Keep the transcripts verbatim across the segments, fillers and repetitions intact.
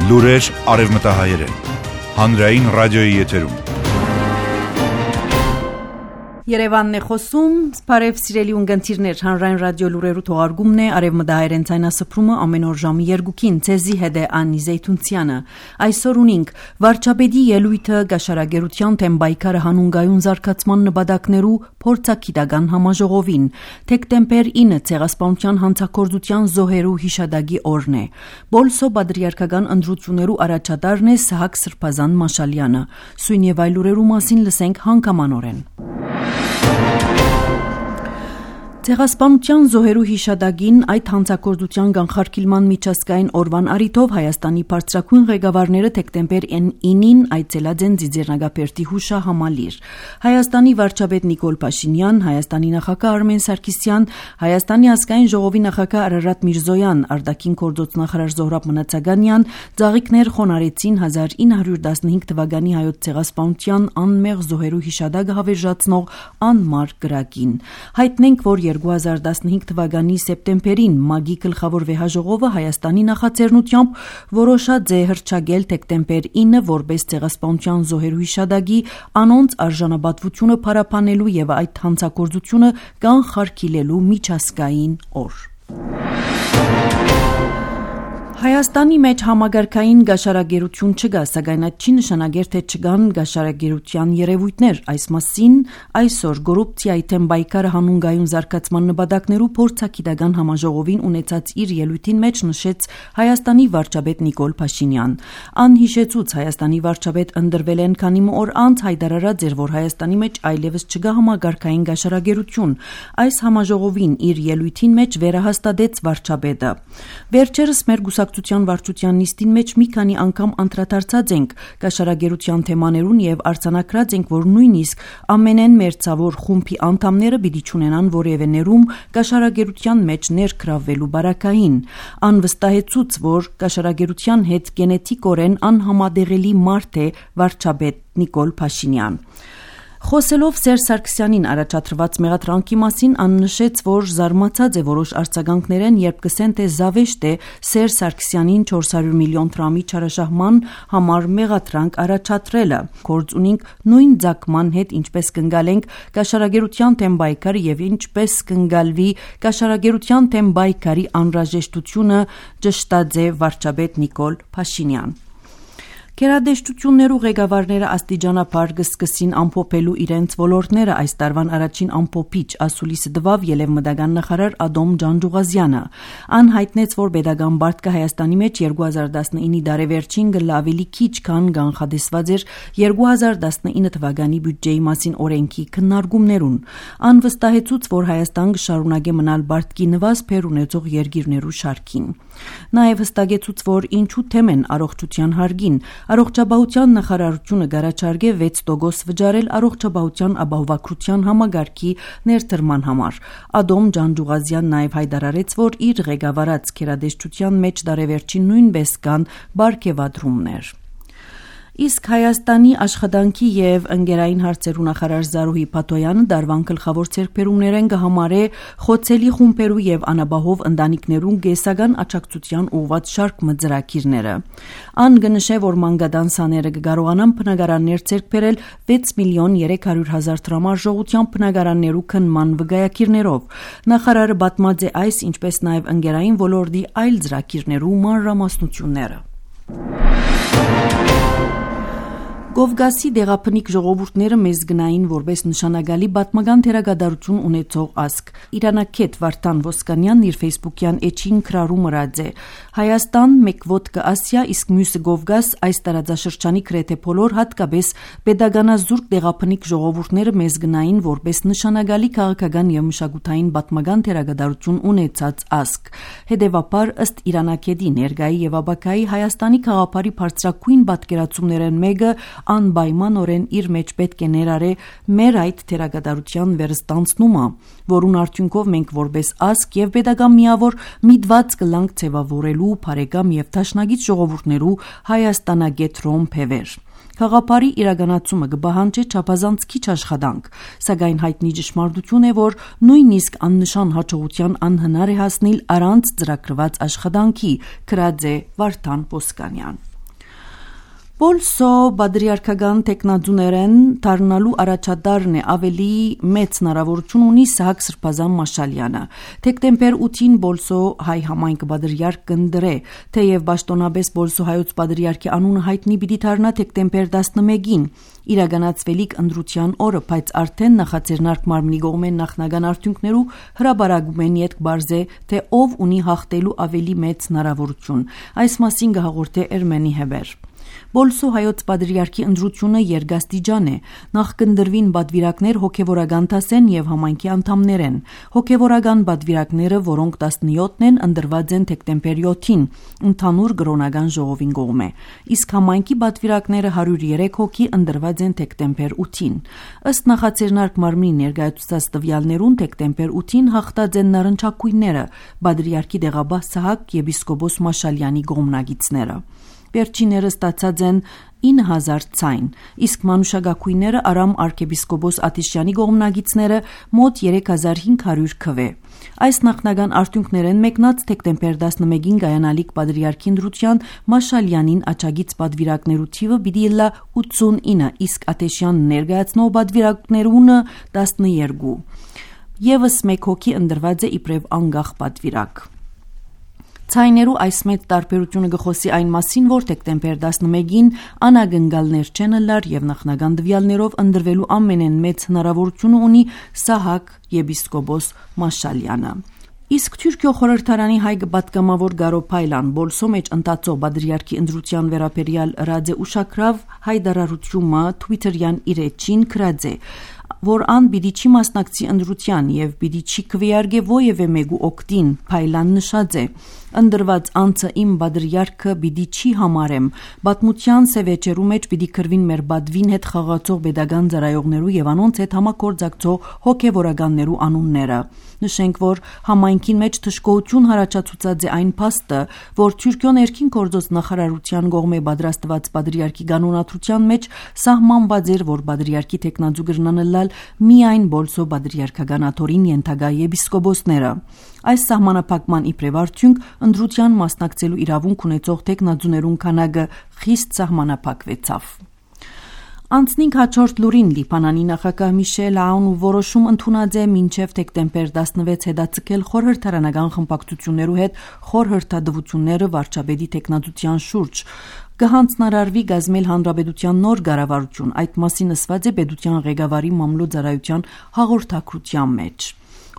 Լուրեր արևմտահայերեն։ Հանրային ռադիոյի եթերում։ Երևանն է խոսում, բարև սիրելի ունգընտիրներ, հանրային ռադիո լուրերու թողարկումն է, արևմտահայերեն ցայնասփռումը ամեն օր ժամի երկուքին, ցեզի հետ է Անի Զեյթունցյանը։ Այսօր ունենք վարչապետի ելույթը գաշարագերության թեմ բայկարը հանունգայուն զարգացման նպատակներու փորձագիտական համաժողովին, դեկտեմբեր ինը ցեղասպանության հանցագործության զոհերու հիշադակի օրն է։ Բոլսո պատրիարքական ընտրություններու առաջատարն է Սահակ Սրբազան Մաշալյանը։ Սույն եւ այլ լուրերու մասին լսենք հանգամանորեն։ Ցեղասպանության զոհերու հիշադակին այդ հանցագործության կանխարգելման միջազգային օրվան առիթով Հայաստանի բարձրագույն ղեկավարները դեկտեմբեր ինին այցելած են Ձիձեռնագապերտի հուշահամալիր։ Հայաստանի վարչապետ Նիկոլ Փաշինյան, Հայաստանի նախագահ Արմեն Սարգսյան, Հայաստանի ազգային ժողովի նախագահ Արարատ Միրզոյան, արտաքին գործոց նախարար Զոհրաբ Մնացականյան ծաղիկներ խոնարեցին հազար ինը հարյուր տասնհինգ թվականի հայոց ցեղասպանության անմեղ զոհերու հիշադակը հավերժացնող անմար գրակին։ Հայտնենք, որ երկու հազար տասնհինգ թվականի սեպտեմբերին ՄԱԳ-ի գլխավոր վեհաժողովը Հայաստանի նախաձեռնությամբ որոշած է հռչակել դեկտեմբեր ինը որպես ցեղասպանության զոհերու հիշադակի անոնց արժանապատվությունը փարապանելու եւ այդ հանցագործությունը կանխարգելելու միջազգային օր։ Հայաստանի մեջ համագարկային գաշարագերություն չկա, սակայն այդ չի նշանակեր, թե չկան գաշարագերության երևույթներ։ Այս մասին այսօր կոռուպցիայի թեմ բայկարը հանունգայուն զարգացման նպատակներու փորձագիտական համաժողովին ունեցած իր ելույթին մեջ նշեց Հայաստանի վարչապետ Նիկոլ Փաշինյան։ Ան հիշեցուց Հայաստանի վարչապետ ընտրվել են քանի օր անց հայտարարած էր, որ Հայաստանի մեջ այլևս չկա համագարկային գաշարագերություն։ Այս համաժողովին իր ելույթին մեջ վերահաստատեց վարչապետը։ Վերջերս մեր Գուսակցության վարչության նիստին մեջ մի քանի անգամ անդրադարձած ենք գաշարագերության թեմաներուն եւ արձանագրած ենք, որ նույնիսկ ամենեն մերձավոր խումբի անդամները պիտի չունենան որևէ ներում գաշարագերության մեջ ներգրավվելու բարակային։ Ան վստահեցուց, որ գաշարագերության հետ գենետիկորեն անհամադեղելի մարդ է վարչապետ Նիկոլ Փաշինյան։ Խոսելով Սերժ Սարգսյանին առաջադրված մեղադրանքի մասին, ան նշեց, որ զարմացած է որոշ արձագանքներեն, երբ կսեն, թե զավեշտ է Սերժ Սարգսյանին չորս հարյուր միլիոն դրամի չարաշահման համար մեղադրանք առաջադրելը։ Գործ ունենք նույն ձգման հետ, ինչպես կընկալենք գաշարագերության թեմ բայկարը եւ ինչպես կընկալվի գաշարագերության թեմ բայկարի անհրաժեշտությունը, ճշտած է վարչապետ Նիկոլ Փաշինյան։ Գերադեշտություններու ղեկավարները աստիճանաբար կսկսին ամփոփելու իրենց ոլորտները այս տարվան առաջին ամփոփիչ ասուլիսը տվավ ելևմտական նախարար Ադոմ Ջանջուղազյանը։ Ան հայտնեց, որ pedagogan բարտկը Հայաստանի մեջ երկու հազար տասնինի դարեվերջին գլավելի քիչ քան կանխատեսված էր երկու հազար տասնինը թվականի բյուջեի մասին օրենքի քննարկումներուն։ Ան վստահեցուց, որ Հայաստան կշարունակի մնալ բարտկի նվազ փեր ունեցող երկիրներու շարքին։ Նաև հստակեցուց, որ ինչու թեմ են առողջության հարգին։ Առողջապահության նախարարությունը գարաչարգե վեց տոկոս վճարել առողջապահության ապահովագրության համագարկի ներդրման համար։ Ադոմ Ջանջուղազյան նաև հայտարարեց, որ իր ղեկավարած գերադեշտության մեջ դարեվերջին նույնպես կան բարգեւադրումներ։ Իսկ Հայաստանի աշխատանքի եւ ընկերային հարցերու նախարար Զարուհի Փաթոյանը դարվան գլխավոր ցերկբերումներեն կհամարե խոցելի խումբերու եւ անապահով ընտանիքներուն գեսական աջակցության ուղղված շարք մծրակիրները։ Ան կնշե, որ մանգադանսաները կկարողանան բնակարաններ ցերկբերել վեց միլիոն երեք հարյուր հազար դրամ արժողությամբ բնակարաններու քննման վկայակիրներով։ Նախարարը պատմած է այս, ինչպես նաեւ ընկերային ոլորտի այլ ծրագիրներու մանրամասնությունները։ Կովկասի դեղափնիկ ժողովուրդները մեզ գնային որպես նշանակալի պատմական թերագադարություն ունեցող ազգ։ Իրանակետ Վարդան Ոսկանյանն իր ֆեյսբուքյան էջին քրարում ըրած է։ Հայաստան մեկ ոդկա Ասիա, իսկ մյուսը Կովկաս, այս տարածաշրջանի գրեթե բոլոր հատկապես pedagoganազուրկ դեղափնիկ ժողովուրդները մեզ գնային որպես նշանակալի քաղաքական եւ մշակութային պատմական թերագադարություն ունեցած ազգ։ Հետևաբար ըստ Իրանակետի ներկայի եւ ապագայի Հայաստանի քաղաքարի բարձրակույն պատկերացումներն մեկը անպայմանորեն իր մեջ պետք է ներառե մեր այդ թերագադարության վերստանցնումը, որուն արդյունքով մենք որպես ազգ եւ pedagogan միավոր միտված կլանք ձևավորելու բարեկամ եւ դաշնակից ժողովուրդներու հայաստանագետրոն փևեր։ Խաղապարի իրականացումը կբահանջի չափազանց քիչ աշխատանք, սակայն հայտնի ճշմարտություն է, որ նույնիսկ աննշան հաջողության անհնար է հասնել առանց ծրագրված աշխատանքի, գրած է Վարդան Ոսկանյան։ Բոլսո բադրիարքական տեխնազուներեն դառնալու առաջադարն է ավելի մեծ հնարավորություն ունի Սահակ Սրբազան Մաշալյանը։ Դեկտեմբեր ութին Բոլսո հայ համայնքը բադրիարք կընդրե, թեև պաշտոնապես Բոլսո հայոց բադրիարքի անունը հայտնի պիտի դառնա դեկտեմբեր տասնմեկին իրականացվելիք ընտրության օրը, բայց արդեն նախաձեռնարկ մարմնի կողմեն նախնական արդյունքներու հրաբարակում են ետք բարձե, թե ով ունի հաղթելու ավելի մեծ հնարավորություն։ Այս մասին կհաղորդե Էրմենի Հեբեր։ Բոլսո հայոց բադրիարքի ընտրությունը երկաստիճան է։ Նախ կընդրվին բադվիրակներ հոգևորական դասեն եւ համայնքի անդամներեն։ Հոգևորական բադվիրակները, որոնք տասնյոթն են, ընտրված են դեկտեմբեր յոթին ընդհանուր կրոնական ժողովին կողմէ, իսկ համայնքի բադվիրակները հարյուր երեք հոգի ընտրված են դեկտեմբեր ութին։ Ըստ նախաձեռնարկ մարմնի ներկայացուցած տվյալներուն դեկտեմբեր ութին հաղթած են նարնջակույնները, բադրիարքի դեղաբահ Սահակ եպիսկոպոս Մաշալյանի կողմնակիցները։ Վերջիները ստացած են ինը հազար ցայն, իսկ մանուշակագույնները Արամ arczepiskopos Աթիշյանի կողմնակիցները մոտ երեք հազար հինգ հարյուր քվե։ Այս նախնական արդյունքներեն մեկնած դեկտեմբեր տասնմեկին կայանալիք բադրիարքի ընտրության Մաշալյանին աչագից բադվիրակներու թիվը պիտի լա ութսունինը, իսկ Աթիշյան ներկայացնող բադվիրակներունը տասնյոթ։ Եվս մեկ հոգի ընտրված է իբրև անգախ բադվիրակ։ Ցայներու այս մեծ տարբերությունը գխոսի այն մասին, որ դեկտեմբեր տասնմեկին անագնգալներ չեն լար եւ նախնական տվյալներով ընտրվելու ամենեն մեծ հնարավորությունը ունի Սահակ եպիսկոպոս Մաշալյանը։ Իսկ Թուրքիո խորհրդարանի հայ պատգամավոր Գարո Փայլան Բոլսո մեջ ընթացող բադրիարքի ընտրության վերաբերյալ ռադե ուշակրավ հայտարարությունը Twitter-յան իր էջին գրած է, որ ան պիտի չի մասնակցի ընտրության եւ պիտի չի քվեարկե ովևէ մեկու օկտին։ Փայլան նշած է. Ընդրված անցը իմ բադրիարքը պիտի չի համարեմ, պատմության սևեջերու մեջ պիտի քրվին մեր բադվին հետ խաղացող pedagogan ծառայողներու եւ անոնց հետ համակորձակցող հոգեվորականներու անունները։ Նշենք, որ համայնքին մեջ թշկողություն հարաճացուցած է այն փաստը, որ Թուրքիո ներքին գործոց նախարարության կողմէ պատրաստված բադրիարքի կանոնադրության մեջ սահմանված էր, որ բադրիարքի տեխնազու գրնանը լալ միայն Բոլսո բադրիարքական աթորին ենթակա եպիսկոպոսները։ Այս սահմանափակման իբրև արդյունք ընտրության մասնակցելու իրավունք ունեցող տեխնազուներուն քանակը խիստ սահմանափակվեցավ։ Անցնինք հաջորդ լուրին Լիբանանի նախագահ Միշել Աունու որոշում ընդունած է մինչև դեկտեմբեր տասնվեց հետաձգել խորհրդարանական խմբակցություններու հետ խորհրդատվությունները վարչապետի տեխնազության շուրջ։ Կհանձնարարվի գազմել հանրապետության նոր կառավարություն, այդ մասին ասված է պետության ղեկավարի մամլոյ-ծառայության հաղորդակցության մեջ։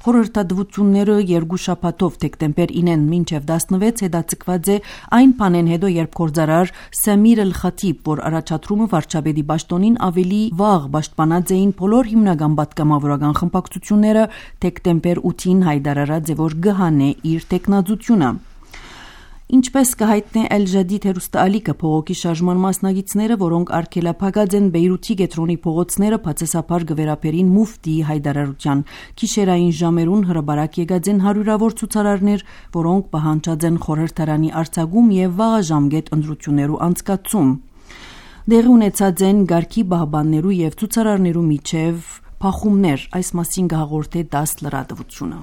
Խորհրդատվությունները երկու շաբաթով դեկտեմբեր ինեն մինչև տասնվեց հետաձգված է այն բանեն հետո, երբ գործարար Սամիր Էլ-Խաթիբ, որ առաջադրումը վարչապետի պաշտոնին ավելի վաղ պաշտպանած էին բոլոր հիմնական պատգամավորական խմբակցությունները, դեկտեմբեր ութին հայտարարած է, որ գհանե իր տեխնազությունը։ Ինչպես կհայտնի Էլ-Ջադիդ հեռուստաալիքը, փողոքի շարժման մասնակիցները, որոնք արգելափակած են Բեյրութի գետրոնի փողոցները, բացասաբար կվերապերին մուֆտիի հայտարարության։ Գիշերային ժամերուն հրաբարակ եկած են հարյուրավոր ցուցարարներ, որոնք պահանջած են խորհրդարանի արձակում եւ վաղաժամկետ ընտրություններու անցկացում։ Դեղի ունեցած են գարքի բահբաններու եւ ցուցարարներու միջև փախումներ, այս մասին կհաղորդե դաս լրատվությունը։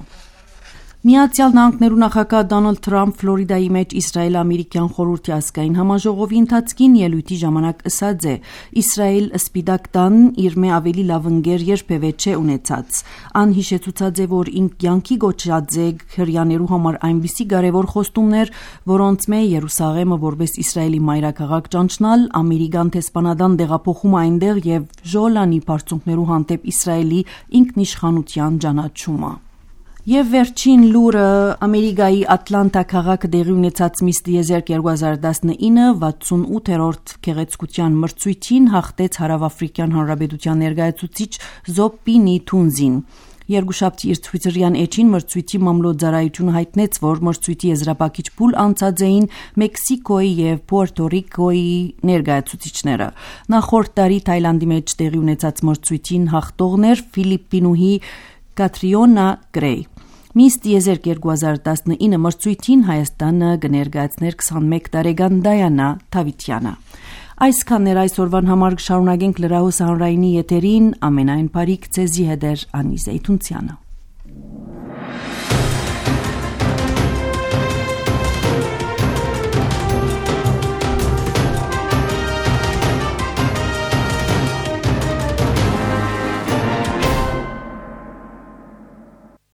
Միացյալ Նահանգներու նախագահ Դոնալդ Թրամփ Ֆլորիդայի մեջ Իսրայել-ամերիկյան խորհրդի ազգային համաժողովի ընթացքին ելույթի ժամանակ ասած է. Իսրայել սպիտակ տան իր մե ավելի լավ ընկեր երբևէ չէ ունեցած։ Ան հիշեցուցած է, որ ինք կյանքի գոչած է հրյաներու համար այնպիսի կարևոր խոստումներ, որոնց մե Երուսաղեմը որպես Իսրայելի մայրաքաղաք ճանչնալ, ամերիկան տեսփանադան դեղափոխումը այնտեղ եւ Ժոլանի բարձունքներու հանդեպ Իսրայելի ինքնիշխանության ճանաչումը։ Եվ վերջին լուրը Ամերիկայի Ատլանտա քաղաքը տեղի ունեցած Miss Desert երկու հազար տասնինը վաթսունութերորդ գեղեցկության մրցույթին հաղթեց Հարավաֆրիկյան Հանրապետության ներկայացուցիչ Զոպպինի Թունզին։ Երկուշաբթի իր Twitter-յան էջին մրցույթի մամլոյ-ծառայությունը հայտնեց, որ մրցույթի եզրափակիչ փուլ անցած էին Մեքսիկոյի եւ Պուերտո Ռիկոյի ներկայացուցիչները։ Նախորդ տարի Թայլանդի մեջ տեղի ունեցած մրցույթին հաղթողներ Ֆիլիպինուհի Կատրիոնա Գրեյ։ Miss Desert երկու հազար տասնինը մրցույթին Հայաստանը կներկայացներ քսանմեկ տարեկան Դայանա Թավիթյանը։ Այսքանն էր այսօրվան համար, կշարունակենք լրահոս հանրայինի եթերին, ամենայն բարիք ձեզի հետ էր Անի Զեյթունցյանը։